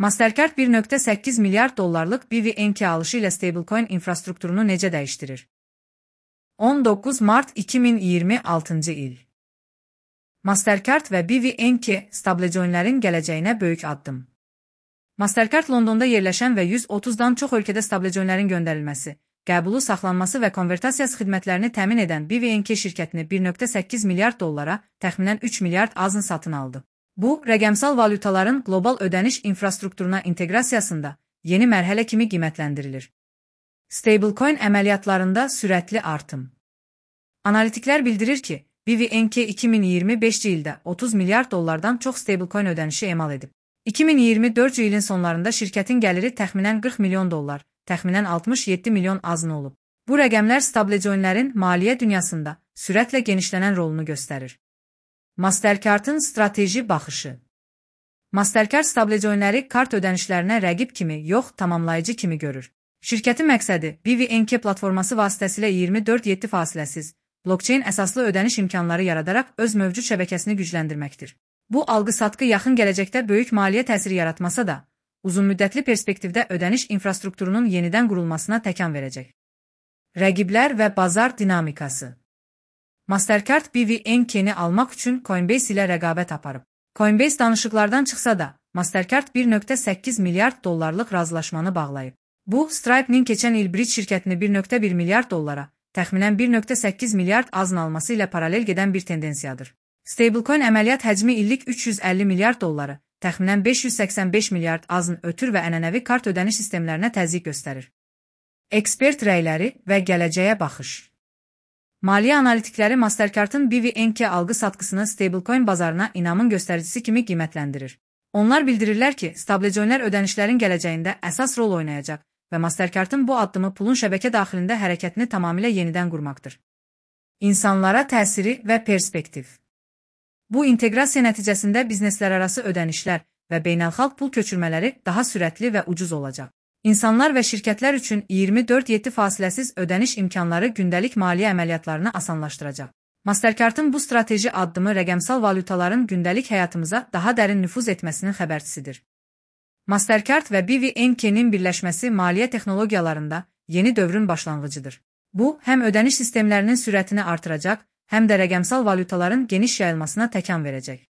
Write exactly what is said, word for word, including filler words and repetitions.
Mastercard bir nöqtə səkkiz milyard dollarlıq B V N K alışı ilə stablecoin infrastrukturunu necə dəyişdirir? on doqquz mart iki min iyirmi altıncı il. Mastercard və B V N K stablecoinlərin gələcəyinə böyük addım. Mastercard Londonda yerləşən və yüz otuzdan çox ölkədə stablecoinlərin göndərilməsi, qəbulu, saxlanması və konvertasiyası xidmətlərini təmin edən B V N K şirkətini bir nöqtə səkkiz milyard dollara, təxminən üç milyard azın satın aldı. Bu, rəqəmsal valyutaların qlobal ödəniş infrastrukturuna inteqrasiyasında yeni mərhələ kimi qiymətləndirilir. Stablecoin əməliyyatlarında sürətli artım. Analitiklər bildirir ki, B V N K iki min iyirmi beşinci ildə otuz milyard dollardan çox stablecoin ödənişi emal edib. iki min iyirmi dördüncü ilin sonlarında şirkətin gəliri təxminən qırx milyon dollar, təxminən altmış yeddi milyon azın olub. Bu rəqəmlər stablecoinlərin maliyyə dünyasında sürətlə genişlənən rolunu göstərir. Mastercard'ın strateji baxışı. Mastercard stablecoinləri kart ödənişlərinə rəqib kimi, yox, tamamlayıcı kimi görür. Şirkətin məqsədi B V N K platforması vasitəsilə iyirmi dörd yeddi fasiləsiz, blockchain əsaslı ödəniş imkanları yaradaraq öz mövcud şəbəkəsini gücləndirməkdir. Bu alqı-satqı yaxın gələcəkdə böyük maliyyə təsiri yaratmasa da, uzunmüddətli perspektivdə ödəniş infrastrukturunun yenidən qurulmasına təkan verəcək. Rəqiblər və bazar dinamikası. Mastercard B V N K-ni almaq üçün Coinbase ilə rəqabət aparıb. Coinbase danışıqlardan çıxsa da, Mastercard bir nöqtə səkkiz milyard dollarlıq razılaşmanı bağlayıb. Bu, Stripe'nin keçən il Bridge şirkətini bir nöqtə bir milyard dollara, təxminən bir nöqtə səkkiz milyard azın alması ilə paralel gedən bir tendensiyadır. Stablecoin əməliyyat həcmi illik üç yüz əlli milyard dolları, təxminən beş yüz səksən beş milyard azın ötür və ənənəvi kart ödəniş sistemlərinə təzyiq göstərir. Ekspert rəyləri və gələcəyə baxış. Maliyyə analitikləri Mastercard'ın B V N K alqı-satqısını stablecoin bazarına inamın göstəricisi kimi qiymətləndirir. Onlar bildirirlər ki, stablecoinlər ödənişlərin gələcəyində əsas rol oynayacaq və Mastercard'ın bu addımı pulun şəbəkə daxilində hərəkətini tamamilə yenidən qurmaqdır. İnsanlara təsiri və perspektiv. Bu inteqrasiya nəticəsində bizneslərarası ödənişlər və beynəlxalq pul köçürmələri daha sürətli və ucuz olacaq. İnsanlar və şirkətlər üçün iyirmi dörd yeddi fasiləsiz ödəniş imkanları gündəlik maliyyə əməliyyatlarını asanlaşdıracaq. Mastercard'ın bu strateji addımı rəqəmsal valyutaların gündəlik həyatımıza daha dərin nüfuz etməsinin xəbərçisidir. Mastercard və B V N K-nin birləşməsi maliyyə texnologiyalarında yeni dövrün başlanğıcıdır. Bu, həm ödəniş sistemlərinin sürətini artıracaq, həm də rəqəmsal valyutaların geniş yayılmasına təkan verəcək.